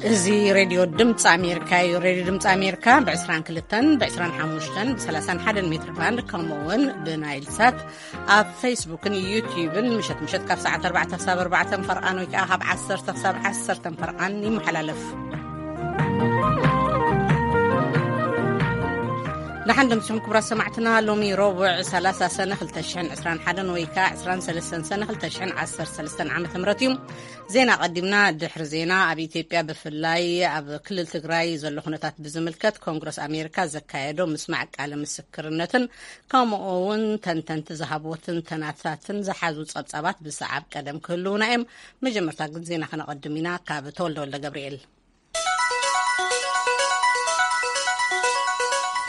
እዚ ሬድዮ ድምፂ ኣሜሪካ እዩ። ሬድዮ ድምፂ ኣሜሪካ ብ22፣ ብ25፣ ብ31 ሜትር ባንድ፣ ከምኡ እውን ብናይል ሳት ኣብ ፌስቡክን ዩቲዩብን ምሸት ምሸት ካብ ሰዓት ኣርባዕተ ክሳብ ኣርባዕተ ፈርቓን ወይ ከዓ ካብ ዓሰርተ ክሳብ ዓሰርተ ፈርቓን ይመሓላለፍ። ደሓን ደምሲኹም ክቡራት ሰማዕትና። ሎሚ ረቡዕ ሰላሳ ሰነ ክልተ ሽሕን ዕስራን ሓደን ወይ ከዓ ዕስራን ሰለስተን ሰነ ክልተ ሽሕን ዓሰርተ ሰለስተን ዓመተ ምህረት እዩ። ዜና ቀዲምና። ድሕሪ ዜና፣ ኣብ ኢትዮጵያ ብፍላይ ኣብ ክልል ትግራይ ዘሎ ኩነታት ብዝምልከት ኮንግረስ ኣሜሪካ ዘካየዶ ምስማዕ ቃለ ምስክርነትን ከምኡ እውን ተንተንቲ ዝሃብዎ ትንተናታትን ዝሓዙ ጸብጻባት ብሰዓብ ቀደም ክህልውና እዮም። መጀመርታ ግን ዜና ከነቐድም ኢና። ካብ ተወልደ ወልደ ገብርኤል።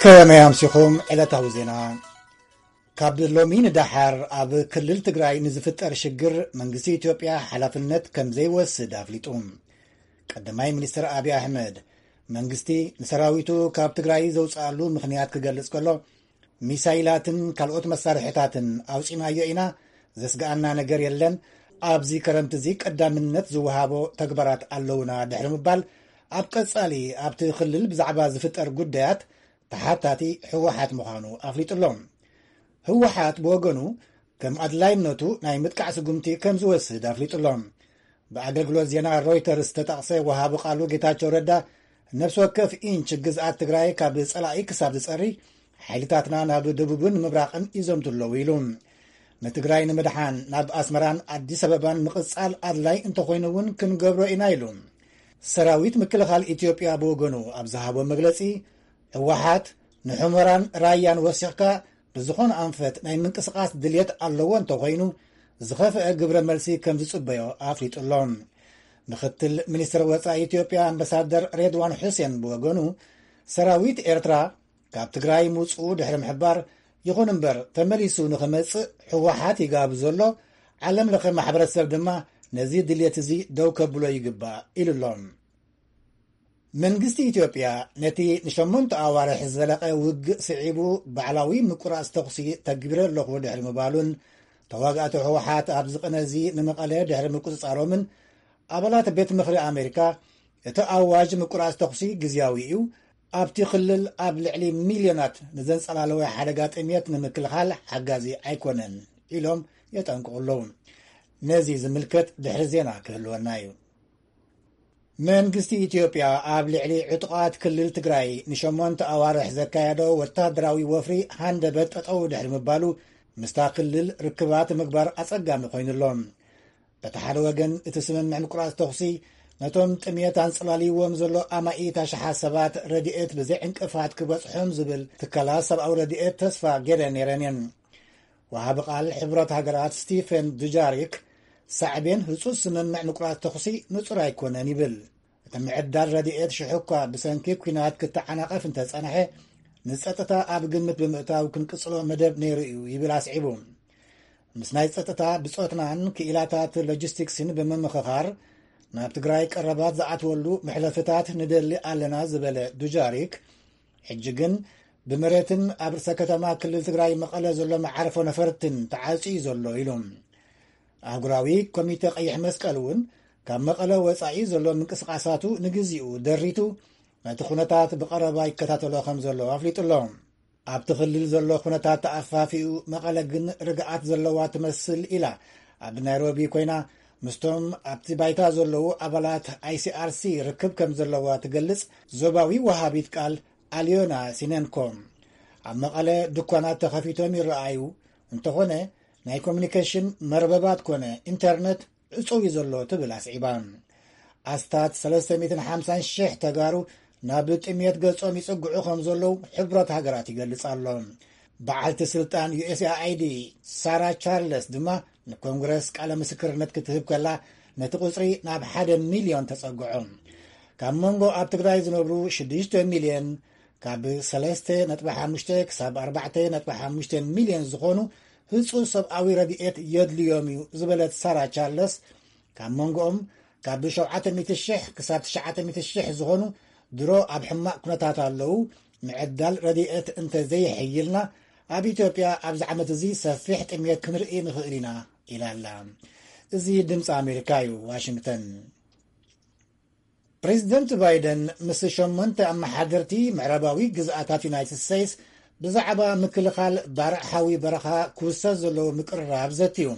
ከመይ ኣምሲኹም? ዕለታዊ ዜና። ካብ ሎሚ ንደሓር ኣብ ክልል ትግራይ ንዝፍጠር ሽግር መንግስቲ ኢትዮጵያ ሓላፍነት ከም ዘይወስድ ኣፍሊጡ። ቀዳማይ ሚኒስትር ኣብይ ኣሕመድ፣ መንግስቲ ንሰራዊቱ ካብ ትግራይ ዘውፅኣሉ ምኽንያት ክገልጽ ከሎ፣ ሚሳይላትን ካልኦት መሳርሕታትን ኣውፂናዮ ኢና፣ ዘስግኣና ነገር የለን፣ ኣብዚ ከረምቲ እዚ ቀዳምነት ዝወሃቦ ተግባራት ኣለውና ድሕሪ ምባል፣ ኣብ ቀጻሊ ኣብቲ ክልል ብዛዕባ ዝፍጠር ጉዳያት ተሓታቲ ህወሓት ምዃኑ ኣፍሊጡ ኣሎ። ህወሓት ብወገኑ ከም ኣድላይነቱ ናይ ምጥቃዕ ስጉምቲ ከም ዝወስድ ኣፍሊጡ ኣሎ። ብኣገልግሎት ዜና ሮይተርስ ዝተጠቕሰ ወሃቢ ቃሉ ጌታቸው ረዳ፣ ነፍሲ ወከፍ ኢንች ግዝኣት ትግራይ ካብ ጸላኢ ክሳብ ዝጸሪ፣ ሓይልታትና ናብ ደቡብን ምብራቕን ይዘምቱ ኣለዉ ኢሉ። ንትግራይ ንምድሓን ናብ ኣስመራን ኣዲስ ኣበባን ምቕጻል ኣድላይ እንተኾይኑ እውን ክንገብሮ ኢና ኢሉ። ሰራዊት ምክልኻል ኢትዮጵያ ብወገኑ ኣብ ዝሃቦ መግለጺ፣ ህወሓት ንሑመራን ራያን ወሲኽካ ብዝኾነ ኣንፈት ናይ ምንቅስቓስ ድልየት ኣለዎ እንተኾይኑ፣ ዝኸፍአ ግብረ መልሲ ከም ዝጽበዮ ኣፍሊጡ ኣሎ። ምክትል ሚኒስትር ወጻኢ ኢትዮጵያ ኣምባሳደር ሬድዋን ሑሴን ብወገኑ፣ ሰራዊት ኤርትራ ካብ ትግራይ ምውጽኡ ድሕሪ ምሕባር፣ ይኹን እምበር ተመሊሱ ንኽመጽእ ህወሓት ይጋብዞ ኣሎ፣ ዓለም ለኸ ማሕበረሰብ ድማ ነዚ ድልየት እዚ ደው ከብሎ ይግባእ ኢሉ ኣሎ። መንግስቲ ኢትዮጵያ ነቲ ንሸሞንተ ኣዋርሕ ዝዘለቐ ውግእ ስዒቡ ባዕላዊ ምቁራጽ ተኹሲ ተግቢረ ኣለኹ ድሕሪ ምባሉን፣ ተዋጋእቲ ህወሓት ኣብዚ ቅነ እዚ ንመቐለ ድሕሪ ምቁጽጻሮምን፣ ኣባላት ቤት ምኽሪ ኣሜሪካ እቲ ኣዋጅ ምቁራጽ ተኹሲ ግዝያዊ እዩ፣ ኣብቲ ክልል ኣብ ልዕሊ ሚልዮናት ንዘንጸላለወ ሓደጋ ጥሜት ንምክልኻል ሓጋዚ ኣይኮነን ኢሎም የጠንቅቑ ኣለዉ። ነዚ ዝምልከት ድሕሪ ዜና ክህልወና እዩ። መንግስቲ ኢትዮጵያ ኣብ ልዕሊ ዕጡቓት ክልል ትግራይ ንሸሞንተ ኣዋርሕ ዘካየዶ ወታደራዊ ወፍሪ ሃንደበት ጠጠው ድሕሪ ምባሉ፣ ምስታ ክልል ርክባት ምግባር ኣጸጋሚ ኮይኑ ኣሎ። በቲ ሓደ ወገን፣ እቲ ስምምዕ ምቁራጽ ተኹሲ ነቶም ጥሜት ኣንጸላልይዎም ዘሎ ኣማኢት ኣሽሓት ሰባት ረድኤት ብዘይ ዕንቅፋት ክበጽሖም ዝብል ትካላት ሰብኣዊ ረድኤት ተስፋ ገይረን ነይረን እየን። ወሃቢ ቃል ሕብረት ሃገራት ስቲፈን ዱጃሪክ፣ ሳዕቤን ህጹጽ ስምምዕ ምቁራጽ ተኹሲ ንጹር ኣይኮነን ይብል። እቲ ምዕዳል ረድኤት ሽሕ እኳ ብሰንኪ ኲናት ክተዓናቐፍ እንተጸንሐ፣ ንጸጥታ ኣብ ግምት ብምእታው ክንቅጽሎ መደብ ነይሩ እዩ ይብል ኣስዒቡ። ምስ ናይ ጸጥታ ብጾትናን ክኢላታት ሎጂስቲክስን ብምምኽኻር፣ ናብ ትግራይ ቀረባት ዝኣትወሉ መሕለፍታት ንደሊ ኣለና ዝበለ ዱጃሪክ፣ ሕጂ ግን ብመሬትን ኣብ ርእሰ ከተማ ክልል ትግራይ መቐለ ዘሎ መዓርፎ ነፈርትን ተዓጽዩ ዘሎ ኢሉ። ኣህጉራዊ ኮሚተ ቀይሕ መስቀል እውን ካብ መቐለ ወጻኢ ዘሎ ምንቅስቓሳቱ ንግዚኡ ደሪቱ፣ ነቲ ኩነታት ብቐረባ ይከታተሎ ከም ዘሎ ኣፍሊጡ ኣሎ። ኣብቲ ክልል ዘሎ ኩነታት ተኣፋፊኡ፣ መቐለ ግን ርግኣት ዘለዋ ትመስል ኢላ ኣብ ናይሮቢ ኮይና ምስቶም ኣብቲ ባይታ ዘለዉ ኣባላት ኣይ ሲ ኣር ሲ ርክብ ከም ዘለዋ ትገልጽ ዞባዊ ወሃቢት ቃል ኣልዮና ሲነንኮ። ኣብ መቐለ ድኳናት ተኸፊቶም ይረኣዩ፣ እንተኾነ ናይ ኮሚኒኬሽን መርበባት ኮነ ኢንተርነት ዕጹው እዩ ዘሎ ትብል ኣስዒባ። ኣስታት ሰለስተ ሚእትን ሓምሳን ሽሕ ተጋሩ ናብ ጥሜት ገጾም ይጽግዑ ከም ዘለዉ ሕብረት ሃገራት ይገልጽ ኣሎ። በዓልቲ ስልጣን ዩ ኤስ ኤ ኣይ ዲ ሳራ ቻርለስ ድማ ንኮንግረስ ቃለ ምስክርነት ክትህብ ከላ፣ ነቲ ቁጽሪ ናብ ሓደ ሚልዮን ተጸግዖ። ካብ መንጎ ኣብ ትግራይ ዝነብሩ ሽዱሽተ ሚልዮን፣ ካብ ሰለስተ ነጥቢ ሓሙሽተ ክሳብ ኣርባዕተ ነጥቢ ሓሙሽተ ሚልዮን ዝኾኑ ህጹጽ ሰብኣዊ ረድኤት የድልዮም እዩ ዝበለት ሳራ ቻርለስ፣ ካብ መንጎኦም ካብ ሸውዓተ ሚእቲ ሽሕ ክሳብ ትሽዓተ ሚእቲ ሽሕ ዝኾኑ ድሮ ኣብ ሕማቕ ኩነታት ኣለዉ። ምዕዳል ረድኤት እንተ ዘይሕይልና፣ ኣብ ኢትዮጵያ ኣብዚ ዓመት እዚ ሰፊሕ ጥሜት ክንርኢ ንኽእል ኢና ኢላ ኣላ። እዚ ድምፂ ኣሜሪካ እዩ፣ ዋሽንግተን። ፕሬዚደንት ባይደን ምስ ሸሞንተ ኣመሓደርቲ ምዕራባዊ ግዝኣታት ዩናይትድ ስቴትስ ብዛዕባ ምክልኻል ባርዕ ሓዊ በረኻ ክውሰድ ዘለዎ ምቅርራብ ዘትዩ።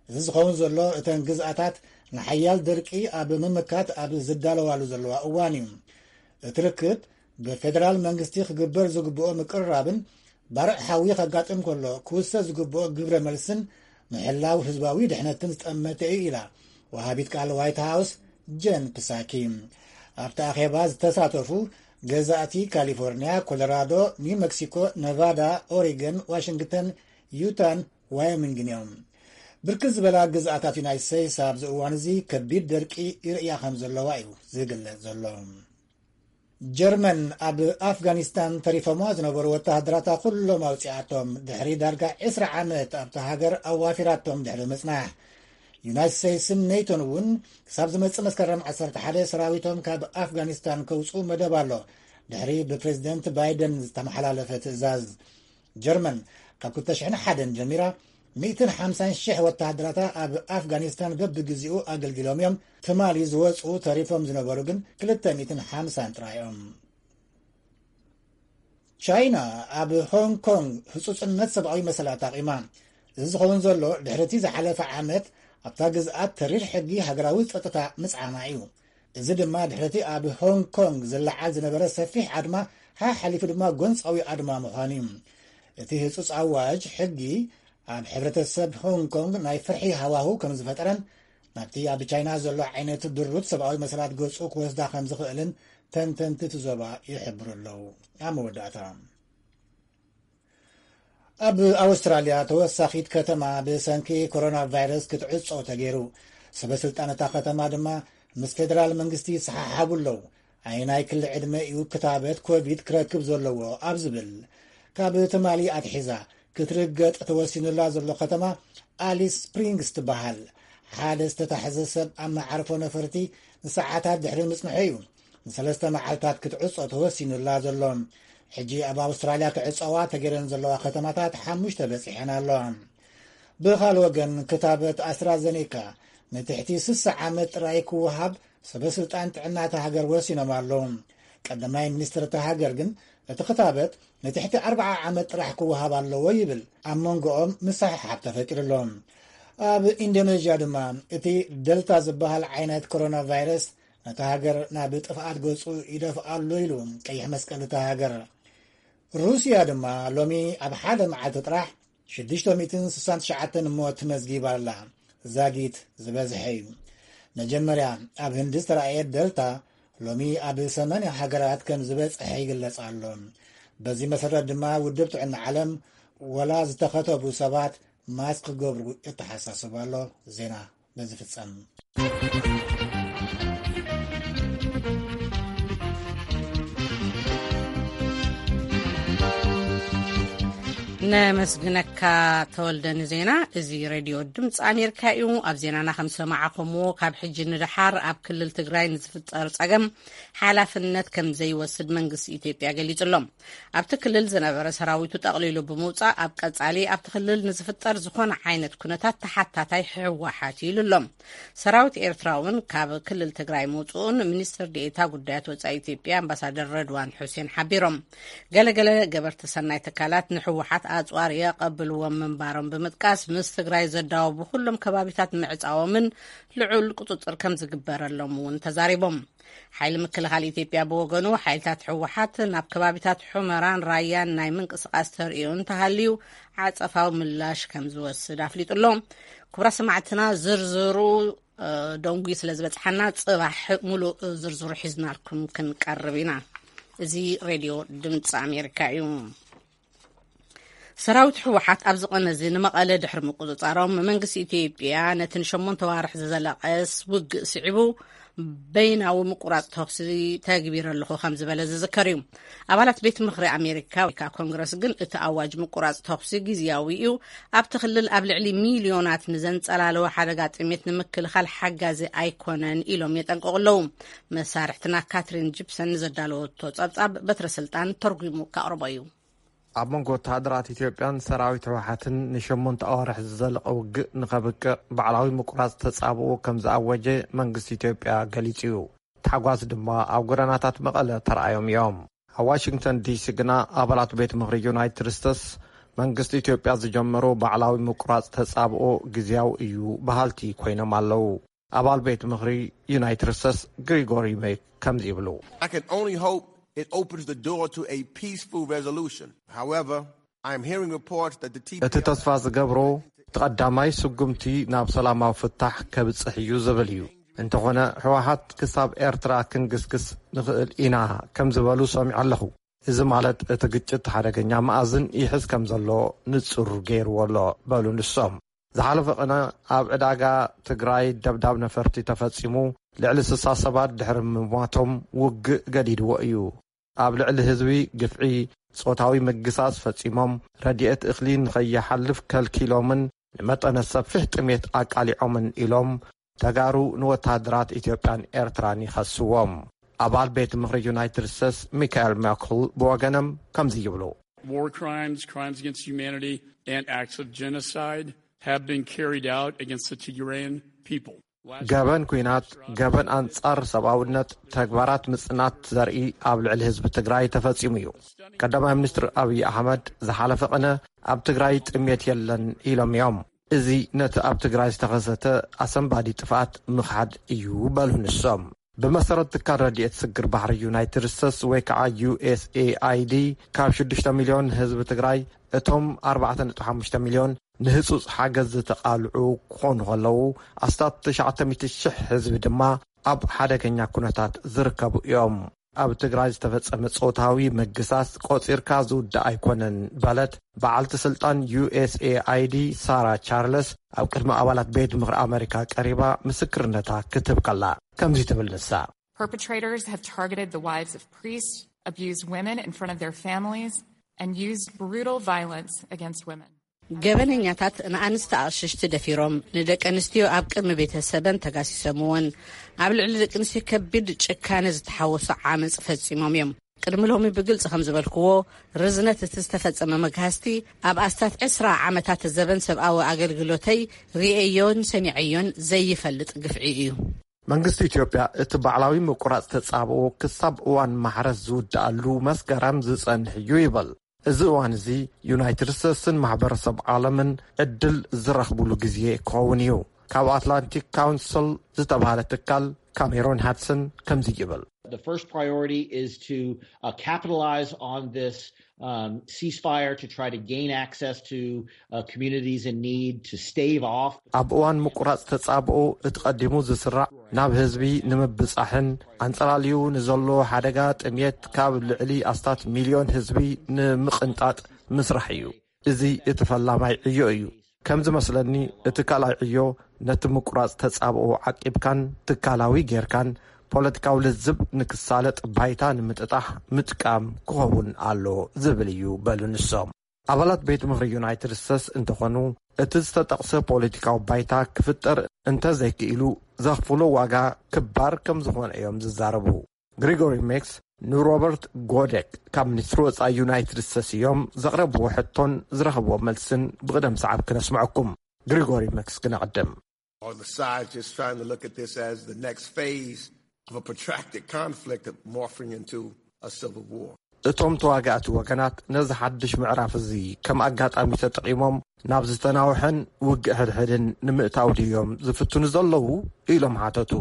እዚ ዝኸውን ዘሎ እተን ግዝኣታት ንሓያል ደርቂ ኣብ ምምካት ኣብ ዝዳለዋሉ ዘለዋ እዋን እዩ። እቲ ርክብ ብፌደራል መንግስቲ ክግበር ዝግብኦ ምቅርራብን ባርዕ ሓዊ ከጋጥም ከሎ ክውሰድ ዝግብኦ ግብረ መልስን ምሕላው ህዝባዊ ድሕነትን ዝጠመተ እዩ ኢላ ወሃቢት ቃል ዋይት ሃውስ ጀን ፕሳኪ። ኣብቲ ኣኼባ ዝተሳተፉ ገዛእቲ ካሊፎርኒያ፣ ኮሎራዶ፣ ኒው መክሲኮ፣ ነቫዳ፣ ኦሪገን፣ ዋሽንግተን፣ ዩታን ዋዮሚንግን እዮም። ብርክት ዝበላ ግዝኣታት ዩናይትድ ስቴትስ ኣብዚ እዋን እዚ ከቢድ ደርቂ ይርእያ ከም ዘለዋ እዩ ዝግለጽ ዘሎ። ጀርመን ኣብ ኣፍጋኒስታን ተሪፎማ ዝነበሩ ወተሃደራታ ኩሎም ኣውፂኣቶም፣ ድሕሪ ዳርጋ ዕስራ ዓመት ኣብታ ሃገር ኣዋፊራቶም ድሕሪ ምፅናሕ። ዩናይትድ ስቴትስን ኔቶን እውን ክሳብ ዝመፅእ መስከረም ዓሰርተ ሓደ ሰራዊቶም ካብ ኣፍጋኒስታን ከውፅኡ መደብ ኣሎ፣ ድሕሪ ብፕሬዚደንት ባይደን ዝተመሓላለፈ ትእዛዝ። ጀርመን ካብ ክልተ ሽሕን ሓደን ጀሚራ ሚእትን ሓምሳን ሽሕ ወተሃደራታ ኣብ ኣፍጋኒስታን በብግዜኡ ኣገልጊሎም እዮም። ትማሊ ዝወፁ ተሪፎም ዝነበሩ ግን ክልተ ሚእትን ሓምሳን ጥራይ እዮም። ቻይና ኣብ ሆንግ ኮንግ ህፁፅነት ሰብኣዊ መሰላት ኣቂማ። እዚ ዝኸውን ዘሎ ድሕሪ እቲ ዝሓለፈ ዓመት ኣብታ ግዝኣት ተሪር ሕጊ ሃገራዊ ፀጥታ ምፅዓና እዩ። እዚ ድማ ድሕሪ እቲ ኣብ ሆንግ ኮንግ ዝለዓል ዝነበረ ሰፊሕ ኣድማ ሓሓሊፉ ድማ ጎንፃዊ ኣድማ ምዃኑ እዩ። እቲ ህፁፅ ኣዋጅ ሕጊ ኣብ ሕብረተሰብ ሆንግ ኮንግ ናይ ፍርሒ ሃዋህው ከም ዝፈጠረን ናብቲ ኣብ ቻይና ዘሎ ዓይነት ድሩት ሰብኣዊ መሰላት ገፁ ክወስዳ ከም ዝኽእልን ተንተንቲ እቲ ዞባ ይሕብሩ ኣለዉ። ኣብ መወዳእታ፣ ኣብ ኣውስትራልያ ተወሳኺት ከተማ ብሰንኪ ኮሮና ቫይረስ ክትዕጾ ተገይሩ። ሰበ ስልጣን እታ ከተማ ድማ ምስ ፌደራል መንግስቲ ይሰሓሓቡ ኣለዉ። ኣየናይ ክሊ ዕድመ እዩ ክታበት ኮቪድ ክረክብ ዘለዎ ኣብ ዝብል። ካብ ትማሊ ኣትሒዛ ክትርገጥ ተወሲኑላ ዘሎ ከተማ ኣሊስ ስፕሪንግስ ትበሃል። ሓደ ዝተታሕዘ ሰብ ኣብ መዓርፎ ነፈርቲ ንሰዓታት ድሕሪ ምጽንሑ እዩ ንሰለስተ መዓልታት ክትዕጾ ተወሲኑላ ዘሎ። ሕጂ ኣብ ኣውስትራልያ ክዕጸዋ ተገይረን ዘለዋ ከተማታት ሓሙሽተ በጺሐን ኣለዋ። ብኻል ወገን ክታበት ኣስትራዘኔካ ንትሕቲ ስሳ ዓመት ጥራይ ክወሃብ ሰበ ስልጣን ጥዕና እታ ሃገር ወሲኖም ኣለዉ። ቀዳማይ ሚኒስትር እታ ሃገር ግን እቲ ክታበት ንትሕቲ ኣርብዓ ዓመት ጥራሕ ክወሃብ ኣለዎ ይብል። ኣብ መንጎኦም ምስሕሓብ ተፈጢሩ ኣሎ። ኣብ ኢንዶኔዥያ ድማ እቲ ደልታ ዝበሃል ዓይነት ኮሮና ቫይረስ ነታ ሃገር ናብ ጥፍኣት ገጹ ይደፍኣ ኣሎ ኢሉ ቀይሕ መስቀል እታ ሃገር። ሩስያ ድማ ሎሚ ኣብ ሓደ መዓልቲ ጥራሕ ሽዱሽተ ሚእትን ስሳን ትሽዓተን ሞት መዝጊባ ኣላ። ዛጊት ዝበዝሐ እዩ። መጀመርያ ኣብ ህንዲ ዝተራእየ ደልታ ሎሚ ኣብ ሰማንያ ሃገራት ከም ዝበጽሐ ይግለጽ ኣሎ። በዚ መሰረት ድማ ውድብ ጥዕና ዓለም ወላ ዝተኸተቡ ሰባት ማስክ ክገብሩ የተሓሳስብ ኣሎ። ዜና በዚ ፍጸም። ነመስግነካ ተወልደ ንዜና። እዚ ሬድዮ ድምፂ ኣሜሪካ እዩ። ኣብ ዜናና ከም ዝሰማዕኹምዎ፣ ካብ ሕጂ ንደሓር ኣብ ክልል ትግራይ ንዝፍጠር ፀገም ሓላፍነት ከም ዘይወስድ መንግስቲ ኢትዮጵያ ገሊጹ ኣሎ። ኣብቲ ክልል ዝነበረ ሰራዊቱ ጠቕሊሉ ብምውጻእ፣ ኣብ ቀጻሊ ኣብቲ ክልል ንዝፍጠር ዝኾነ ዓይነት ኩነታት ተሓታታይ ህወሓት እዩ ኢሉ ኣሎ። ሰራዊት ኤርትራ እውን ካብ ክልል ትግራይ ምውጽኡን ሚኒስትር ዴኤታ ጉዳያት ወጻኢ ኢትዮጵያ ኣምባሳደር ረድዋን ሑሴን ሓቢሮም። ገለገለ ገበርቲ ሰናይ ትካላት ንህወሓት ኣጽዋር የቐብልዎም ምንባሮም ብምጥቃስ፣ ምስ ትግራይ ዘዳወቡ ኩሎም ከባቢታት ምዕጻዎምን ልዑል ቁጽጽር ከም ዝግበረሎም እውን ተዛሪቦም። ሓይሊ ምክልኻል ኢትዮጵያ ብወገኑ፣ ሓይልታት ህወሓት ናብ ከባቢታት ሑመራን ራያን ናይ ምንቅስቓስ ተርእዮ እንተሃልዩ ዓጸፋዊ ምላሽ ከም ዝወስድ ኣፍሊጡ ኣሎ። ክቡራት ሰማዕትና፣ ዝርዝሩ፣ እ፣ ደንጉዩ ስለ ዝበጽሓና፣ ጽባሕ ሙሉእ ዝርዝሩ ሒዝናልኩም ክንቀርብ ኢና። እዚ ሬድዮ ድምፂ ኣሜሪካ እዩ። ሰራዊት ህወሓት ኣብዚ ቀነ እዚ ንመቐለ ድሕሪ ምቁጽጻሮም፣ መንግስቲ ኢትዮጵያ ነቲ ንሸሞንተ ዋርሕ ዝዘለቐስ ውግእ ስዒቡ በይናዊ ምቁራጽ ተኹሲ ተግቢረ ኣለኹ ከም ዝበለ ዝዝከር እዩ። ኣባላት ቤት ምኽሪ ኣሜሪካ ወይ ከዓ ኮንግረስ ግን እቲ ኣዋጅ ምቁራጽ ተኹሲ ግዝያዊ እዩ፣ ኣብቲ ክልል ኣብ ልዕሊ ሚልዮናት ንዘንጸላለወ ሓደጋ ጥሜት ንምክልኻል ሓጋዚ ኣይኮነን ኢሎም የጠንቅቑ ኣለዉ። መሳርሕትና ካትሪን ጂፕሰን ንዘዳለወቶ ጸብጻብ በትረ ስልጣን ተርጉሙ ከቕርቦ እዩ። ኣብ መንጎ ወተሃደራት ኢትዮጵያን ሰራዊት ህወሓትን ንሸሞንተ ኣዋርሕ ዝዘለቐ ውግእ ንኸብቅዕ ባዕላዊ ምቁራጽ ተጻብኦ ከም ዝኣወጀ መንግስቲ ኢትዮጵያ ገሊጹ እዩ። ተሓጓስ ድማ ኣብ ጎደናታት መቐለ ተራእዮም እዮም። ኣብ ዋሽንግተን ዲሲ ግና ኣባላት ቤት ምኽሪ ዩናይትድ ስቴትስ መንግስቲ ኢትዮጵያ ዝጀመሮ ባዕላዊ ምቁራጽ ተጻብኦ ግዝያዊ እዩ በሃልቲ ኮይኖም ኣለዉ። ኣባል ቤት ምኽሪ ዩናይትድ ስቴትስ ግሪጎሪ ሜክ ከምዚ ይብሉ። I can only hope it opens the door to a peaceful resolution. However, I am hearing reports that the እቲ T P L F ተስፋ ዝገብሮ እቲ ቀዳማይ ስጉምቲ ናብ ሰላማዊ ፍታሕ ከብጽሕ እዩ ዝብል እዩ። እንተኾነ፣ ህወሓት ክሳብ ኤርትራ ክንግስግስ ንኽእል ኢና ከም ዝበሉ ሰሚዐ ኣለኹ። እዚ ማለት እቲ ግጭት ሓደገኛ መኣዝን ይሕዝ ከም ዘሎ ንጹር ገይርዎ ኣሎ፣ በሉ ንሶም። ዝሓለፈ ቅነ ኣብ ዕዳጋ ትግራይ ደብዳብ ነፈርቲ ተፈጺሙ፣ ልዕሊ ስሳ ሰባት ድሕሪ ምሟቶም ውግእ ገዲድዎ እዩ። ኣብ ልዕሊ ህዝቢ ግፍዒ፣ ጾታዊ ምግሳስ ፈጺሞም፣ ረድኤት እኽሊ ንኸይሓልፍ ከልኪሎምን ንመጠነ ሰፊሕ ጥሜት ኣቃሊዖምን ኢሎም ተጋሩ ንወተሃደራት ኢትዮጵያን ኤርትራን ይኸስዎም። ኣባል ቤት ምኽሪ ዩናይትድ ስቴትስ ሚካኤል ማክል ብወገኖም ከምዚ ይብሉ። War crimes, crimes against humanity, and acts of genocide have been carried out against the Tigrayan people. ገበን ኲናት፣ ገበን ኣንጻር ሰብኣውነት፣ ተግባራት ምጽናት ዘርኢ ኣብ ልዕሊ ህዝቢ ትግራይ ተፈጺሙ እዩ። ቀዳማይ ሚኒስትር ኣብይ ኣሕመድ ዝሓለፈ ቅነ ኣብ ትግራይ ጥሜት የለን ኢሎም እዮም። እዚ ነቲ ኣብ ትግራይ ዝተኸሰተ ኣሰንባዲ ጥፍኣት ምኽሓድ እዩ በሉ ንሶም። ብመሰረት ትካል ረድኤት ስግር ባሕሪ ዩናይትድ ስቴትስ ወይ ከዓ ዩ ኤስ ኤ ኣይ ዲ፣ ካብ ሽዱሽተ ሚልዮን ህዝቢ ትግራይ እቶም ኣርባዕተ ነጥቢ ሓሙሽተ ሚልዮን ንህጹጽ ሓገዝ ዝተቓልዑ ክኾኑ ከለዉ፣ ኣስታት ትሽዓተ ሚእቲ ሽሕ ህዝቢ ድማ ኣብ ሓደገኛ ኩነታት ዝርከቡ እዮም። ኣብ ትግራይ ዝተፈጸመ ጾታዊ ምግሳስ ቆጺርካ ዝውዳእ ኣይኮነን በለት በዓልቲ ስልጣን ዩ ኤስ ኤ ኣይ ዲ ሳራ ቻርለስ ኣብ ቅድሚ ኣባላት ቤት ምኽሪ ኣመሪካ ቀሪባ ምስክርነታ ክትህብ ከላ ከምዚ ትብል ንሳ። Perpetrators have targeted the wives of priests, abused women in front of their families, and used brutal violence against women. ገበነኛታት ንኣንስቲ ኣቕሽሽቲ ደፊሮም፣ ንደቂ ኣንስትዮ ኣብ ቅድሚ ቤተሰበን ተጋሲሶምወን፣ ኣብ ልዕሊ ደቂ ኣንስትዮ ከቢድ ጭካነ ዝተሓወሶ ዓመጽ ፈጺሞም እዮም። ቅድሚ ሎሚ ብግልጺ ከም ዝበልክዎ፣ ርዝነት እቲ ዝተፈጸመ መግሃስቲ ኣብ ኣስታት ዕስራ ዓመታት ዘበን ሰብኣዊ ኣገልግሎተይ ርእየዮን ሰሚዐዮን ዘይፈልጥ ግፍዒ እዩ። መንግስቲ ኢትዮጵያ እቲ ባዕላዊ ምቁራጽ ተጻብኦ ክሳብ እዋን ማሕረስ ዝውድኣሉ መስከረም ዝጸንሕ እዩ ይብል። እዚ እዋን እዚ ዩናይትድ ስቴትስን ማሕበረሰብ ዓለምን ዕድል ዝረኽብሉ ግዜ ክኸውን እዩ። ካብ ኣትላንቲክ ካውንስል ዝተባህለ ትካል ካሜሮን ሃድሰን ከምዚ ይብል። The first priority is to uh, capitalize on this um, ceasefire to try to gain access to uh, communities in need to stave off. ኣብ እዋን ምቁራጽ ተጻብኦ እቲ ቀዲሙ ዝስራዕ ናብ ህዝቢ ንምብጻሕን ኣንጸላልዩ ንዘሎ ሓደጋ ጥሜት ካብ ልዕሊ ኣስታት ሚልዮን ህዝቢ ንምቕንጣጥ ምስራሕ እዩ። እዚ እቲ ፈላማይ ዕዮ እዩ። ከም ዝመስለኒ፣ እቲ ካልኣይ ዕዮ ነቲ ምቁራጽ ተጻብኦ ዓቂብካን ትካላዊ ጌርካን ፖለቲካዊ ልዝብ ንክሳለጥ ባይታ ንምጥጣሕ ምጥቃም ክኸውን ኣሎ ዝብል እዩ በሉ ንሶም። ኣባላት ቤት ምኽሪ ዩናይትድ ስቴትስ እንተኾኑ፣ እቲ ዝተጠቕሰ ፖለቲካዊ ባይታ ክፍጠር እንተዘይክኢሉ ዘኽፍሎ ዋጋ ክባር ከም ዝኾነ እዮም ዝዛረቡ። ግሪጎሪ ሜክስ ንሮበርት ጎደክ ካብ ሚኒስትሪ ወጻኢ ዩናይትድ ስቴትስ እዮም ዘቕረብዎ ሕቶን ዝረኸብዎ መልስን ብቕደም ሰዓብ ክነስምዐኩም። ግሪጎሪ ሜክስ ክነቕድም። Or the sides just trying to look at this as the next phase of a protracted conflict morphing into a civil war. እቶም ተዋጋእቲ ወገናት ነዚ ሓድሽ ምዕራፍ እዚ ከም ኣጋጣሚ ተጠቒሞም ናብ ዝተናውሐን ውግእ ሕድሕድን ንምእታው ድዮም ዝፍትኑ ዘለዉ? ኢሎም ሓተቱ።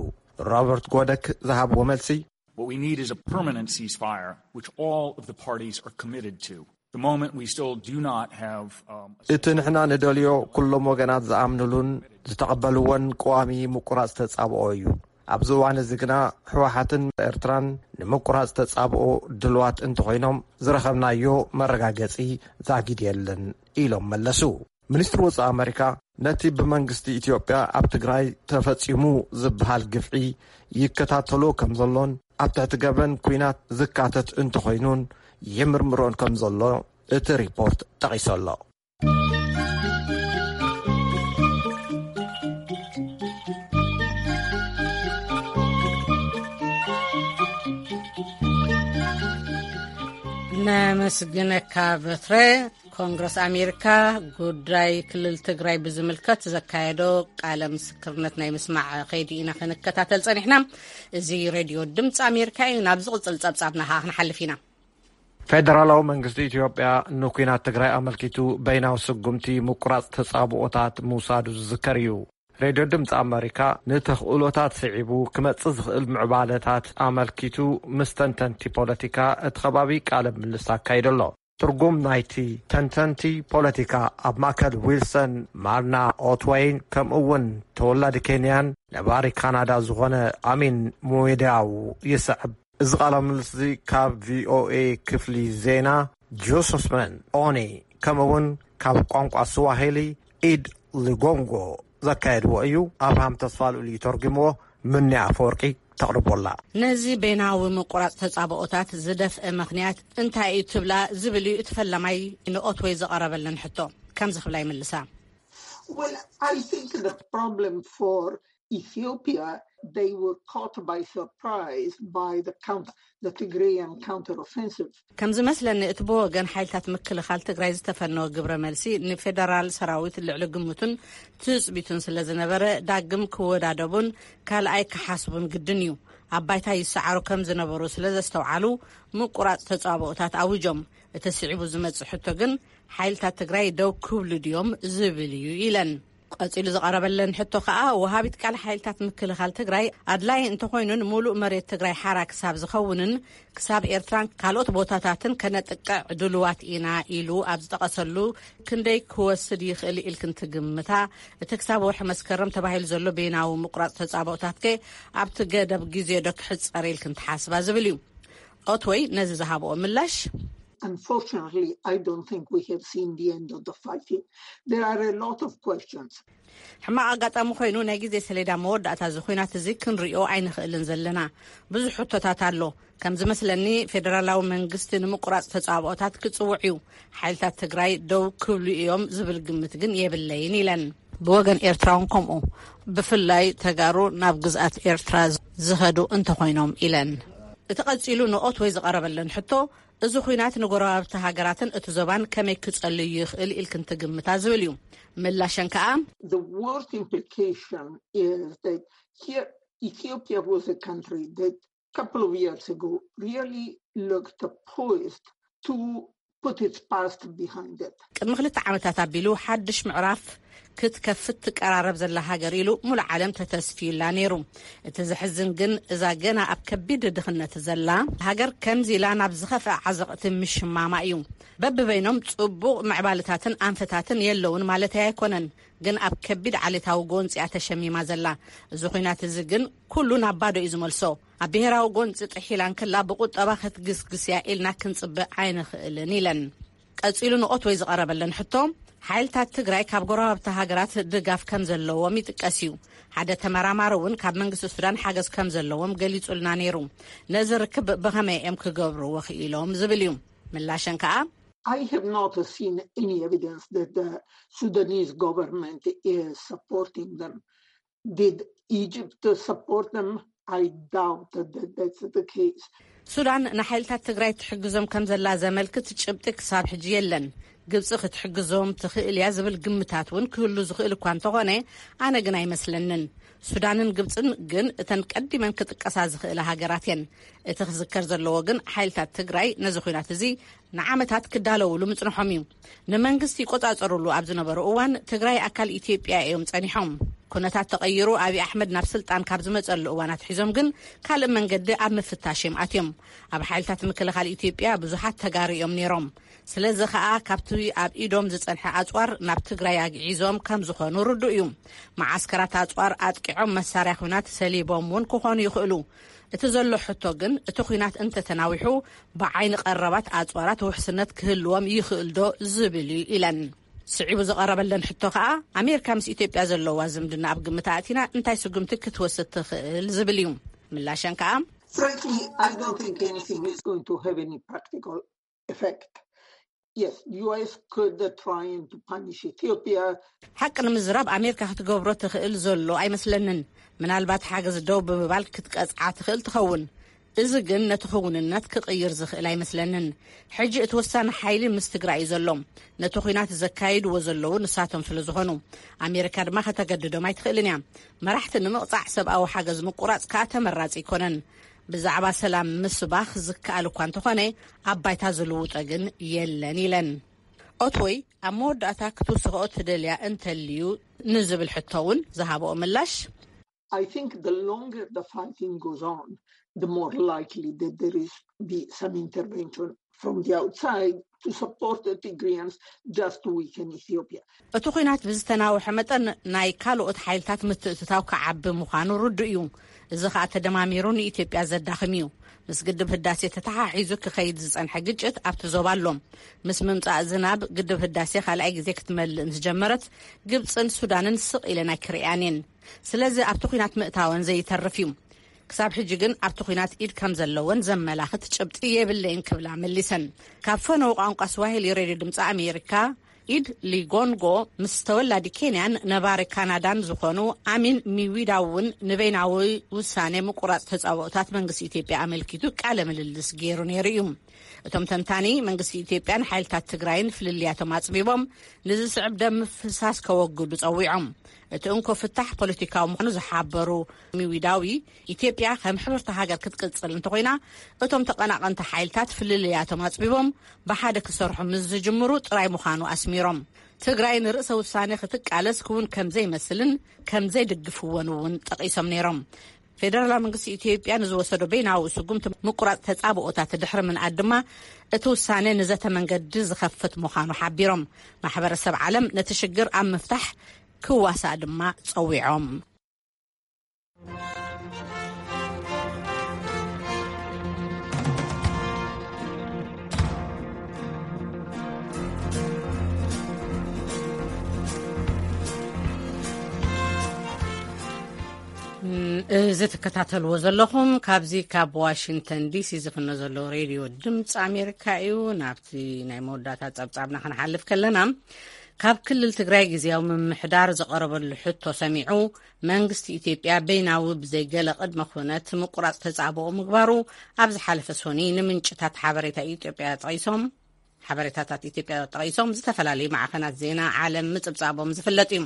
ሮበርት ጎደክ ዝሃብዎ መልሲ፣ What we need is a permanent ceasefire, which all of the parties are committed to. The moment we still do not have um, a እቲ ንሕና ንደልዮ ኩሎም ወገናት ዝኣምንሉን ዝተቐበልዎን ቀዋሚ ምቁራጽ ተጻብኦ እዩ። ኣብዚ እዋን እዚ ግና ህወሓትን ኤርትራን ንምቁራጽ ተጻብኦ ድልዋት እንተኾይኖም ዝረኸብናዮ መረጋገጺ ዛጊድ የለን ኢሎም መለሱ። ሚኒስትሪ ወጻኢ ኣመሪካ ነቲ ብመንግስቲ ኢትዮጵያ ኣብ ትግራይ ተፈጺሙ ዝበሃል ግፍዒ ይከታተሎ ከም ዘሎን ኣብ ትሕቲ ገበን ኲናት ዝካተት እንተኾይኑን ይምርምሮን ከም ዘሎ እቲ ሪፖርት ጠቒሱ ኣሎ። ነመስግነካ በትረ። ኮንግረስ ኣሜሪካ ጉዳይ ክልል ትግራይ ብዝምልከት ዘካየዶ ቃለ ምስክርነት ናይ ምስማዕ ከይዲ ኢና ክንከታተል ጸኒሕና። እዚ ሬድዮ ድምፂ ኣሜሪካ እዩ። ናብ ዝቕፅል ጸብጻብና ከዓ ክንሓልፍ ኢና። ፌደራላዊ መንግስቲ ኢትዮጵያ ንኲናት ትግራይ ኣመልኪቱ በይናዊ ስጉምቲ ምቁራፅ ተጻብኦታት ምውሳዱ ዝዝከር እዩ። ሬድዮ ድምፂ ኣመሪካ ንተኽእሎታት ስዒቡ ክመፅእ ዝኽእል ምዕባለታት ኣመልኪቱ ምስ ተንተንቲ ፖለቲካ እቲ ከባቢ ቃለ ምልልስ ኣካይዱ ኣሎ። ትርጉም ናይቲ ተንተንቲ ፖለቲካ ኣብ ማእከል ዊልሰን ማርና ኦትወይን ከምኡ እውን ተወላዲ ኬንያን ነባሪ ካናዳ ዝኾነ ኣሚን ሙዌዳው ይስዕብ። እዚ ቃለ ምልልስ እዚ ካብ ቪኦኤ ክፍሊ ዜና ጆሰፍመን ኦኒ ከምኡ እውን ካብ ቋንቋ ስዋሂሊ ኢድ ሊጎንጎ ዘካየድዎ እዩ። ኣብርሃም ተስፋልኡል እዩ ተርጉምዎ። ምንያ ኣፈወርቂ ተቕርቦላ። ነዚ በይናዊ ምቁራጽ ተጻብኦታት ዝደፍአ ምኽንያት እንታይ እዩ ትብላ ዝብል እዩ እቲ ፈላማይ ንኦትወይ ዝቐረበለን ሕቶ። ከምዚ ክብላ ይምልሳ። Well, I think the problem for Ethiopia, they were caught by surprise by the counter, the Tigrayan counteroffensive. ከም ዝመስለኒ እቲ ብወገን ሓይልታት ምክልኻል ትግራይ ዝተፈነወ ግብረ መልሲ ንፌደራል ሰራዊት ልዕሊ ግምቱን ትጽቢቱን ስለ ዝነበረ ዳግም ክወዳደቡን ካልኣይ ክሓስቡን ግድን እዩ። ኣብ ባይታ ይሰዓሩ ከም ዝነበሩ ስለ ዘስተውዓሉ ምቁራጽ ተጻብኦታት ኣዊጆም። እቲ ስዒቡ ዝመጽእ ሕቶ ግን ሓይልታት ትግራይ ደው ክብሉ ድዮም ዝብል እዩ ኢለን። ቀጺሉ ዝቐረበለን ሕቶ ከኣ ወሃቢት ቃል ሓይልታት ምክልኻል ትግራይ ኣድላይ እንተኾይኑን ሙሉእ መሬት ትግራይ ሓራ ክሳብ ዝኸውንን ክሳብ ኤርትራን ካልኦት ቦታታትን ከነጥቅዕ ድሉዋት ኢና ኢሉ ኣብ ዝጠቐሰሉ ክንደይ ክወስድ ይኽእል ኢልክን ትግምታ? እቲ ክሳብ ወርሒ መስከረም ተባሂሉ ዘሎ በይናዊ ምቁራጽ ተጻብኦታት ከ ኣብቲ ገደብ ግዜ ዶ ክሕጸር ኢልክን ትሓስባ ዝብል እዩ። ኦትወይ ነዚ ዝሃብኦ ምላሽ Unfortunately, I don't think we have seen the end of the fighting. There are a lot of questions. ሕማቕ ኣጋጣሚ ኮይኑ ናይ ግዜ ሰሌዳ መወዳእታ እዚ ኹናት እዚ ክንሪኦ ኣይንኽእልን ዘለና። ብዙሕ ሕቶታት ኣሎ። ከም ዝመስለኒ ፌደራላዊ መንግስቲ ንምቁራጽ ተጻብኦታት ክጽውዕ እዩ። ሓይልታት ትግራይ ደው ክብሉ እዮም ዝብል ግምት ግን የብለይን ኢለን። ብወገን ኤርትራውን ከምኡ ብፍላይ ተጋሩ ናብ ግዝኣት ኤርትራ ዝኸዱ እንተኾይኖም ኢለን። እቲ ቀጺሉ ንኦትወይ ዝቐረበለን ሕቶ እዚ ኹናት ንጎረባብቲ ሃገራትን እቲ ዞባን ከመይ ክጸልዩ ይኽእል ኢልክን ትግምታ ዝብል እዩ። ምላሸን ከኣ The worst implication is that here Ethiopia was a country that a couple of years ago really looked poised to put its past behind it. ቅድሚ ክልተ ዓመታት ኣቢሉ ሓድሽ ምዕራፍ ክትከፍት ትቀራረብ ዘላ ሃገር ኢሉ ሙሉ ዓለም ተተስፊዩላ ነይሩ። እቲ ዘሕዝን ግን እዛ ገና ኣብ ከቢድ ድኽነት ዘላ ሃገር ከምዚ ኢላ ናብ ዝኸፍአ ዓዘቕቲ ምሽማማ እዩ። በብበይኖም ጽቡቕ ምዕባልታትን ኣንፈታትን የለውን ማለተይ ኣይኮነን፣ ግን ኣብ ከቢድ ዓሌታዊ ጎንጺ እያ ተሸሚማ ዘላ። እዚ ኹናት እዚ ግን ኩሉ ናብ ባዶ እዩ ዝመልሶ። ኣብ ብሄራዊ ጎንጺ ጥሒላ እንክላ ብቁጠባ ክትግስግስ እያ ኢልና ክንጽበ ኣይንኽእልን ኢለን። ቀጺሉ ንኦትወይ ዝቐረበለን ሕቶ ሓይልታት ትግራይ ካብ ጎረባብቲ ሃገራት ድጋፍ ከም ዘለዎም ይጥቀስ እዩ። ሓደ ተመራማሪ እውን ካብ መንግስቲ ሱዳን ሓገዝ ከም ዘለዎም ገሊጹልና ነይሩ። ነዚ ርክብ ብኸመይ እዮም ክገብርዎ ክኢሎም ዝብል እዩ። ምላሸን ከኣ I have not seen any evidence that the Sudanese government is supporting them. Did Egypt support them? I doubt that that's the case. ሱዳን ንሓይልታት ትግራይ ትሕግዞም ከም ዘላ ዘመልክት ጭብጢ ክሳብ ሕጂ የለን። ግብፂ ክትሕግዞም ትኽእል እያ ዝብል ግምታት እውን ክህሉ ዝኽእል እኳ እንተኾነ ኣነ ግን ኣይመስለንን። ሱዳንን ግብፅን ግን እተን ቀዲመን ክጥቀሳ ዝኽእላ ሃገራት እየን። እቲ ክዝከር ዘለዎ ግን ሓይልታት ትግራይ ነዚ ኹናት እዚ ንዓመታት ክዳለውሉ ምጽንሖም እዩ። ንመንግስቲ ይቆጻጸሩሉ ኣብ ዝነበሩ እዋን ትግራይ ኣካል ኢትዮጵያ እዮም ጸኒሖም። ኩነታት ተቐይሩ ኣብይ ኣሕመድ ናብ ስልጣን ካብ ዝመጸሉ እዋን ኣትሒዞም ግን ካልእ መንገዲ ኣብ ምፍታሽ እዮም ኣትዮም። ኣብ ሓይልታት ምክልኻል ኢትዮጵያ ብዙሓት ተጋሩ እዮም ነይሮም። ስለዚ ኸኣ ካብቲ ኣብ ኢዶም ዝጸንሐ ኣጽዋር ናብ ትግራይ ኣግዒዞም ከም ዝኾኑ ርዱእ እዩ። መዓስከራት ኣጽዋር ኣጥቂዖም መሳርያ ኹናት ሰሊቦም እውን ክኾኑ ይኽእሉ። እቲ ዘሎ ሕቶ ግን እቲ ኹናት እንተተናዊሑ ብዓይኒ ቀረባት ኣጽዋራት ውሕስነት ክህልዎም ይኽእል ዶ ዝብል እዩ ኢለን። ስዒቡ ዝቐረበለን ሕቶ ከኣ ኣሜሪካ ምስ ኢትዮጵያ ዘለዋ ዝምድና ኣብ ግምት ኣእቲና እንታይ ስጉምቲ ክትወስድ ትኽእል ዝብል እዩ። ምላሸን ከኣ Frankly, I don't think anything is going to have any practical effect. Yes, U S could uh, try and to punish Ethiopia. ሓቂ ንምዝራብ ኣሜሪካ ክትገብሮ ትኽእል ዘሎ ኣይመስለንን። ምናልባት ሓገዝ ደው ብምባል ክትቀጽዓ ትኽእል ትኸውን። እዚ ግን ነቲ ክውንነት ክቕይር ዝኽእል ኣይመስለንን። ሕጂ እቲ ወሳኒ ሓይሊ ምስ ትግራይ እዩ ዘሎ። ነቲ ኲናት ዘካይድዎ ዘለዉ ንሳቶም ስለ ዝኾኑ፣ ኣሜሪካ ድማ ከተገድዶም ኣይትኽእልን እያ። መራሕቲ ንምቕጻዕ ሰብኣዊ ሓገዝ ምቁራጽ ከኣ ተመራጺ ኣይኮነን። ብዛዕባ ሰላም ምስባኽ ዝከኣል እኳ እንተኾነ፣ ኣብ ባይታ ዝልውጦ ግን የለን ኢለን። ኦትወይ ኣብ መወዳእታ ክትውስኽኦ ትደልያ እንተልዩ ንዝብል ሕቶ እውን ዝሃበኦ ምላሽ፣ I think the longer the fighting goes on, the more likely that there is be some intervention from the outside to support the Tigrayans just to weaken Ethiopia. እቲ ኲናት ብዝተናውሐ መጠን ናይ ካልኦት ሓይልታት ምትእትታው ክዓቢ ምዃኑ ርዱእ እዩ። እዚ ኸኣ ተደማሚሩ ንኢትዮጵያ ዘዳኽም እዩ። ምስ ግድብ ህዳሴ ተተሓሒዙ ክኸይድ ዝጸንሐ ግጭት ኣብቲ ዞባ ኣሎ። ምስ ምምጻእ ዝናብ ግድብ ህዳሴ ካልኣይ ግዜ ክትመልእ ምስ ጀመረት፣ ግብጽን ሱዳንን ስቕ ኢለን ኣይክርእያን እየን። ስለዚ ኣብቲ ኲናት ምእታወን ዘይተርፍ እዩ። ክሳብ ሕጂ ግን ኣብቲ ኲናት ኢድ ከም ዘለወን ዘመላኽት ጭብጢ የብለይን ክብላ መሊሰን። ካብ ፈነው ቋንቋ ስዋሂሊ ሬድዮ ድምፂ ኣሜሪካ ኢድ ሊጎንጎ ምስ ተወላዲ ኬንያን ነባሪ ካናዳን ዝኾኑ ኣሚን ሚዊዳ እውን ንበይናዊ ውሳኔ ምቁራፅ ተፃብኦታት መንግስቲ ኢትዮጵያ ኣመልኪቱ ቃለ ምልልስ ገይሩ ነይሩ እዩ። እቶም ተንታኒ መንግስቲ ኢትዮጵያን ሓይልታት ትግራይን ፍልልያቶም ኣፅቢቦም ንዝስዕብ ደም ምፍሳስ ከወግዱ ፀዊዖም። እቲ እንኮ ፍታሕ ፖለቲካዊ ምዃኑ ዝሓበሩ ሚዊዳዊ፣ ኢትዮጵያ ከም ሕብርቲ ሃገር ክትቅጽል እንተኾይና፣ እቶም ተቐናቐንቲ ሓይልታት ፍልልያቶም ኣጽቢቦም ብሓደ ክሰርሑ ምስ ዝጅምሩ ጥራይ ምዃኑ ኣስሚሮም። ትግራይ ንርእሰ ውሳኔ ክትቃለስ ክውን ከም ዘይመስልን ከም ዘይድግፍዎን እውን ጠቒሶም ነይሮም። ፌደራላዊ መንግስቲ ኢትዮጵያ ንዝወሰዶ በይናዊ ስጉምቲ ምቁራጽ ተጻብኦታት ድሕሪ ምንኣድ ድማ፣ እቲ ውሳኔ ንዘተ መንገዲ ዝኸፍት ምዃኑ ሓቢሮም። ማሕበረሰብ ዓለም ነቲ ሽግር ኣብ ምፍታሕ ክዋሳእ ድማ ጸዊዖም። እዚ ትከታተልዎ ዘለኹም ካብዚ ካብ ዋሽንግተን ዲሲ ዝፍኖ ዘሎ ሬድዮ ድምፂ ኣሜሪካ እዩ። ናብቲ ናይ መወዳእታ ጸብጻብና ክንሓልፍ ከለና፣ ካብ ክልል ትግራይ ግዝያዊ ምምሕዳር ዝቐረበሉ ሕቶ ሰሚዑ፣ መንግስቲ ኢትዮጵያ በይናዊ ብዘይ ገለ ቅድመ ኩነት ምቁራጽ ተጻብኦ ምግባሩ ኣብ ዝሓለፈ ሶኒ ንምንጭታት ሓበሬታ ኢትዮጵያ ጠቒሶም ሓበሬታታት ኢትዮጵያ ጠቒሶም ዝተፈላለዩ ማዕኸናት ዜና ዓለም ምጽብጻቦም ዝፍለጥ እዩ።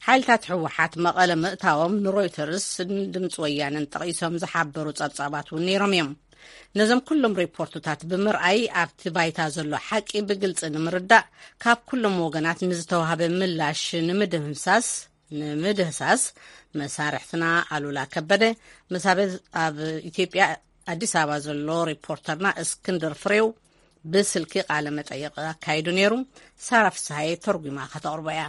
ሓይልታት ህወሓት መቐለ ምእታዎም ንሮይተርስ ድምፂ ወያነን ጠቒሶም ዝሓበሩ ጸብጻባት እውን ነይሮም እዮም። ነዞም ኩሎም ሪፖርትታት ብምርኣይ ኣብቲ ባይታ ዘሎ ሓቂ ብግልፂ ንምርዳእ ካብ ኩሎም ወገናት ንዝተዋህበ ምላሽ ንምድምሳስ ንምድህሳስ መሳርሕትና ኣሉላ ከበደ ምስ ኣብ ኢትዮጵያ ኣዲስ ኣበባ ዘሎ ሪፖርተርና እስክንድር ፍሬው ብስልኪ ቃለ መጠይቕ ኣካይዱ ነይሩ። ሳራ ፍስሃየ ተርጉማ ከተቕርቦ እያ።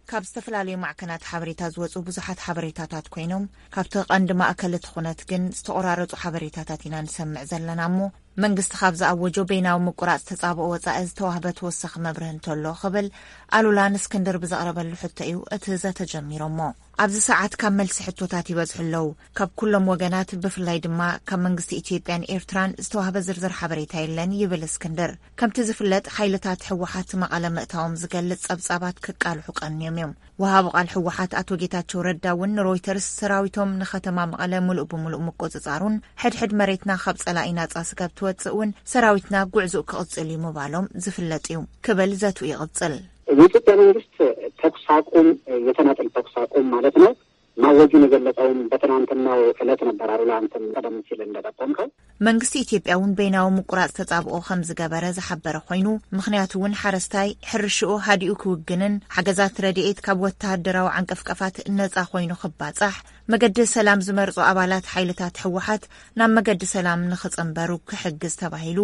ካብ ዝተፈላለዩ ማዕከናት ሓበሬታ ዝወፁ ብዙሓት ሓበሬታታት ኮይኖም፣ ካብቲ ቀንዲ ማእከል እቲ ኩነት ግን ዝተቆራረፁ ሓበሬታታት ኢና ንሰምዕ ዘለና እሞ፣ መንግስቲ ካብ ዝኣወጆ በይናዊ ምቁራፅ ተፃብኦ ወፃኢ ዝተዋህበ ተወሳኺ መብርህ እንተሎ ክብል ኣሉላ ንእስክንድር ብዘቕረበሉ ሕቶ እዩ እቲ ዘተ ጀሚሮሞ። ኣብዚ ሰዓት ካብ መልሲ ሕቶታት ይበዝሑ ኣለዉ። ካብ ኩሎም ወገናት፣ ብፍላይ ድማ ካብ መንግስቲ ኢትዮጵያን ኤርትራን ዝተዋህበ ዝርዝር ሓበሬታ የለን ይብል እስክንድር። ከምቲ ዝፍለጥ፣ ሓይልታት ህወሓት መቐለ ምእታዎም ዝገልጽ ጸብጻባት ክቃልሑ ቀንዮም እዮም። ወሃቢ ቃል ህወሓት ኣቶ ጌታቸው ረዳ እውን ንሮይተርስ ሰራዊቶም ንከተማ መቐለ ምሉእ ብምሉእ ምቁጽጻሩን ሕድሕድ መሬትና ካብ ጸላኢ ናጻ ስጋብ ትወጽእ እውን ሰራዊትና ጉዕዞኡ ክቕጽል እዩ ምባሎም ዝፍለጥ እዩ ክብል ዘትኡ ይቕጽል። የኢትዮጵያ መንግስት ተኩስ አቁም፣ የተናጠል ተኩስ አቁም ማለት ነው፣ ማወጁን የገለጸውም በትናንትናው ዕለት ነበር። አሉላ፣ አንተም ቀደም ሲል እንደጠቆምከው። መንግስቲ ኢትዮጵያ እውን በይናዊ ምቁራጽ ተጻብኦ ከም ዝገበረ ዝሓበረ ኮይኑ፣ ምኽንያቱ እውን ሓረስታይ ሕርሽኡ ሃዲኡ ክውግንን ሓገዛት ረድኤት ካብ ወተሃደራዊ ዓንቀፍቀፋት ነጻ ኮይኑ ክባጻሕ፣ መገዲ ሰላም ዝመርጹ ኣባላት ሓይልታት ህወሓት ናብ መገዲ ሰላም ንኽጽንበሩ ክሕግዝ ተባሂሉ፣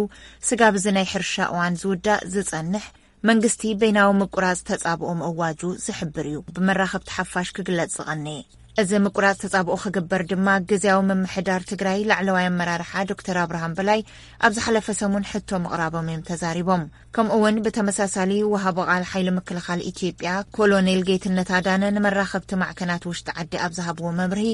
ስጋብ እዚ ናይ ሕርሻ እዋን ዝውዳእ ዝጸንሕ፣ መንግስቲ በይናዊ ምቁራጽ ተጻብኦ ምእዋጁ ዝሕብር እዩ ብመራኸብቲ ሓፋሽ ክግለጽ ዝቐነየ። እዚ ምቁራጽ ተጻብኦ ክግበር ድማ፣ ግዝያዊ ምምሕዳር ትግራይ ላዕለዋይ ኣመራርሓ ዶክተር ኣብርሃም በላይ ኣብ ዝሓለፈ ሰሙን ሕቶ ምቕራቦም እዮም ተዛሪቦም። ከምኡ እውን ብተመሳሳሊ፣ ወሃቢ ቃል ሓይሊ ምክልኻል ኢትዮጵያ ኮሎኔል ጌትነት ኣዳነ ንመራኸብቲ ማዕከናት ውሽጢ ዓዲ ኣብ ዝሃብዎ መብርሂ፣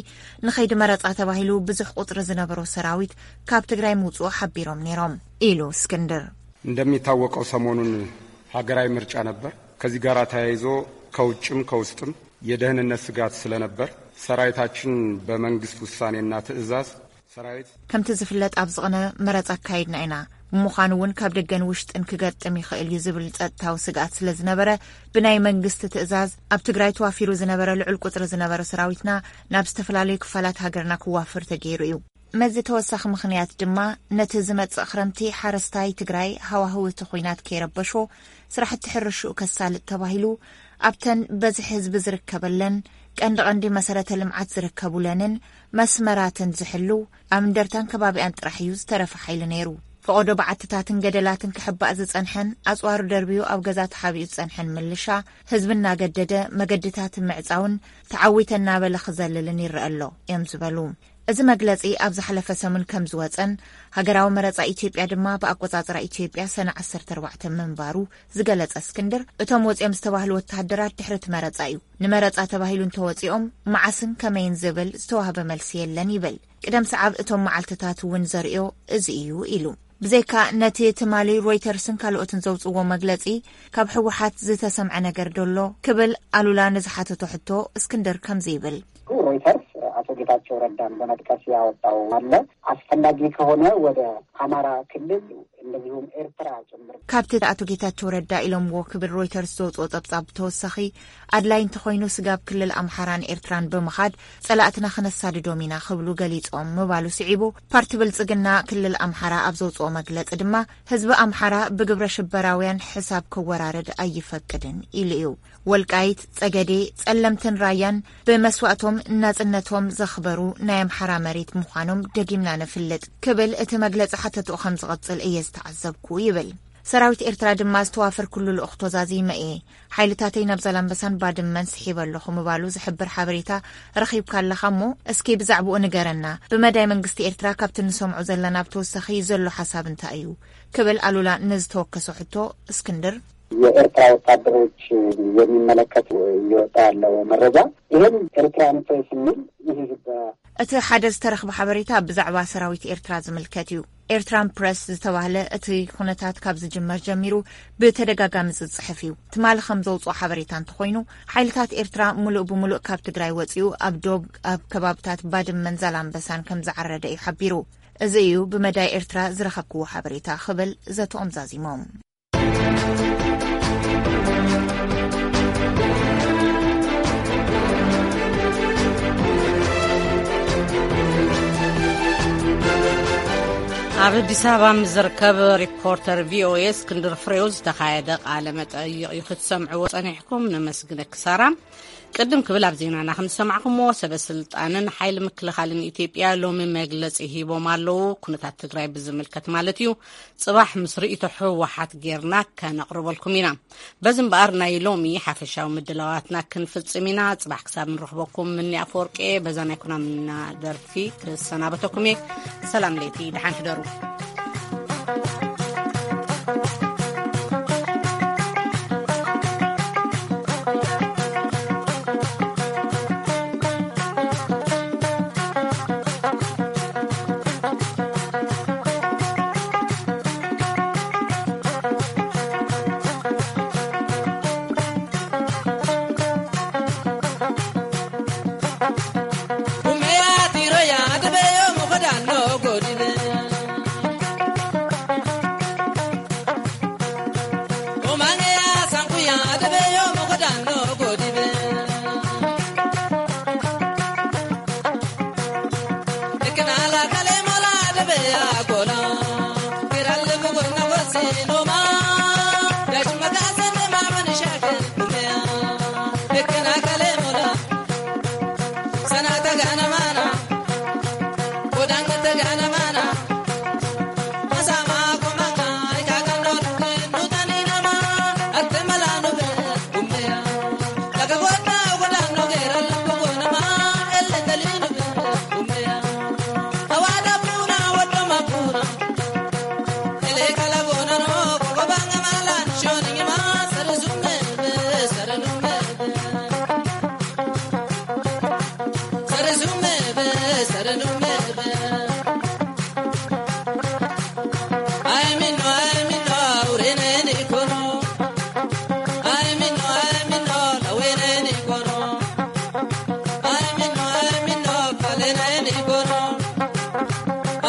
ንኸይዲ መረጻ ተባሂሉ ብዙሕ ቁጽሪ ዝነበሮ ሰራዊት ካብ ትግራይ ምውጽኡ ሓቢሮም ነይሮም ኢሉ እስክንድር። እንደሚታወቀው ሰሞኑን ሀገራዊ ምርጫ ነበር። ከዚህ ጋር ተያይዞ ከውጭም ከውስጥም የደህንነት ስጋት ስለነበር ሰራዊታችን በመንግስት ውሳኔና ትዕዛዝ ሰራዊት ከምቲ ዝፍለጥ፣ ኣብ ዝቕነ መረጻ ኣካይድና ኢና። ብምዃኑ እውን ካብ ደገን ውሽጥን ክገጥም ይኽእል እዩ ዝብል ጸጥታዊ ስግኣት ስለ ዝነበረ፣ ብናይ መንግስቲ ትእዛዝ ኣብ ትግራይ ተዋፊሩ ዝነበረ ልዑል ቁጽሪ ዝነበረ ሰራዊትና ናብ ዝተፈላለዩ ክፋላት ሃገርና ክዋፍር ተገይሩ እዩ። መዚ ተወሳኺ ምኽንያት ድማ፣ ነቲ ዝመጽእ ክረምቲ ሓረስታይ ትግራይ ሃዋህው እቲ ኹናት ከይረበሾ፣ ስራሕቲ ሕርሽኡ ከሳልጥ ተባሂሉ፣ ኣብተን በዝሒ ህዝቢ ዝርከበለን፣ ቀንዲ ቀንዲ መሰረተ ልምዓት ዝርከቡለንን መስመራትን ዝሕሉ፣ ኣብ እንደርታን ከባቢኣን ጥራሕ እዩ ዝተረፈ ሓይሊ ነይሩ። ፈቐዶ በዓትታትን ገደላትን ክሕባእ ዝጸንሐን፣ ኣጽዋሩ ደርብዩ ኣብ ገዛ ተሓቢኡ ዝጸንሐን ምልሻ፣ ህዝቢ እናገደደ መገድታት ምዕጻውን ተዓዊተ እናበለ ክዘልልን ይረአ ኣሎ እዮም ዝበሉ። እዚ መግለጺ ኣብ ዝሓለፈ ሰሙን ከም ዝወጸን፣ ሃገራዊ መረጻ ኢትዮጵያ ድማ ብኣቆጻጽራ ኢትዮጵያ ሰነ ዓሰርተ ኣርባዕተ ምንባሩ ዝገለጸ እስክንድር፣ እቶም ወጺኦም ዝተባህሉ ወተሃደራት ድሕሪ እቲ መረጻ እዩ። ንመረጻ ተባሂሉ እንተወጺኦም፣ መዓስን ከመይን ዝብል ዝተዋህበ መልሲ የለን ይብል። ቅደም ሰዓብ እቶም መዓልትታት እውን ዘርእዮ እዚ እዩ ኢሉ። ብዘይካ ነቲ ትማሊ ሮይተርስን ካልኦትን ዘውጽዎ መግለጺ፣ ካብ ህወሓት ዝተሰምዐ ነገር ዶ ኣሎ ክብል ኣሉላ ንዝሓተቶ ሕቶ እስክንድር ከምዚ ይብል። ሮይተርስ ኣቶ ጌታቸው ረዳን በመጥቀስ ያወጣው አለ። አስፈላጊ ከሆነ ወደ አማራ ክልል እንደዚሁም ኤርትራ ጭምር። ካብቲ ኣቶ ጌታቸው ረዳ ኢሎምዎ ክብል ሮይተርስ ዘውጽኦ ጸብጻብ ብተወሳኺ፣ ኣድላይ እንተኾይኑ ስጋብ ክልል ኣምሓራን ኤርትራን ብምኻድ ጸላእትና ክነሳድዶም ኢና ክብሉ ገሊጾም ምባሉ ስዒቡ፣ ፓርቲ ብልጽግና ክልል ኣምሓራ ኣብ ዘውጽኦ መግለጺ ድማ፣ ህዝቢ ኣምሓራ ብግብረ ሽበራውያን ሕሳብ ክወራረድ ኣይፈቅድን ኢሉ እዩ። ወልቃይት፣ ጸገዴ፣ ጸለምትን ራያን ብመስዋእቶም ናጽነቶም ዘኽበሩ ናይ ኣምሓራ መሬት ምዃኖም ደጊምና ነፍልጥ ክብል እቲ መግለጺ ሓተትኡ ከም ዝቐጽል እየ ዝተዓዘብኩ ይብል። ሰራዊት ኤርትራ ድማ ዝተዋፈርኩሉ ልኡኽቶ ዛዚመ እየ። ሓይልታተይ ናብ ዛላምበሳን ባድመን ስሒበ ኣለኹ ምባሉ ዝሕብር ሓበሬታ ረኺብካ ኣለኻ እሞ እስኪ ብዛዕባኡ ንገረና። ብመዳይ መንግስቲ ኤርትራ ካብቲ ንሰምዖ ዘለና ብተወሳኺ ዘሎ ሓሳብ እንታይ እዩ? ክብል ኣሉላ ንዝተወከሶ ሕቶ እስክንድር። የኤርትራ ወታደሮች የሚመለከት እየወጣ ያለው መረጃ ይህም ኤርትራን ፕሬስ የሚል ይህ በ- እቲ ሓደ ዝተረኽበ ሓበሬታ ብዛዕባ ሰራዊት ኤርትራ ዝምልከት እዩ። ኤርትራን ፕረስ ዝተባህለ እቲ ኩነታት ካብ ዝጅመር ጀሚሩ ብተደጋጋሚ ዝጽሕፍ እዩ። ትማሊ ከም ዘውፅኦ ሓበሬታ እንተኾይኑ፣ ሓይልታት ኤርትራ ሙሉእ ብሙሉእ ካብ ትግራይ ወፂኡ ኣብ ዶብ ኣብ ከባብታት ባድመን ዛላምበሳን ከም ዝዓረደ እዩ ሓቢሩ። እዚ እዩ ብመዳይ ኤርትራ ዝረኸብክዎ ሓበሬታ ክብል ዘተኦም ዛዚሞም። ኣብ ኣዲስ ኣበባ ምስ ዝርከብ ሪፖርተር ቪኦኤ እስክንድር ፍሬው ዝተኻየደ ቃለ መጠይቕ እዩ ክትሰምዕዎ ጸኒሕኩም። ነመስግነኪ ሳራ። ቅድም ክብል ኣብ ዜናና ከም ዝሰማዕኩምዎ፣ ሰበ ስልጣንን ሓይሊ ምክልኻልን ኢትዮጵያ ሎሚ መግለጺ ሂቦም ኣለዉ። ኩነታት ትግራይ ብዝምልከት ማለት እዩ። ጽባሕ ምስ ርእይቶ ህወሓት ጌርና ከነቕርበልኩም ኢና። በዚ እምበኣር ናይ ሎሚ ሓፈሻዊ ምድላዋትና ክንፍጽም ኢና። ጽባሕ ክሳብ ንረኽበኩም፣ ምኒ ኣፈወርቂ በዛ ናይ ኩናምና ደርፊ ክሰናበተኩም እየ። ሰላም ለይቲ፣ ደሓን ሕደሩ።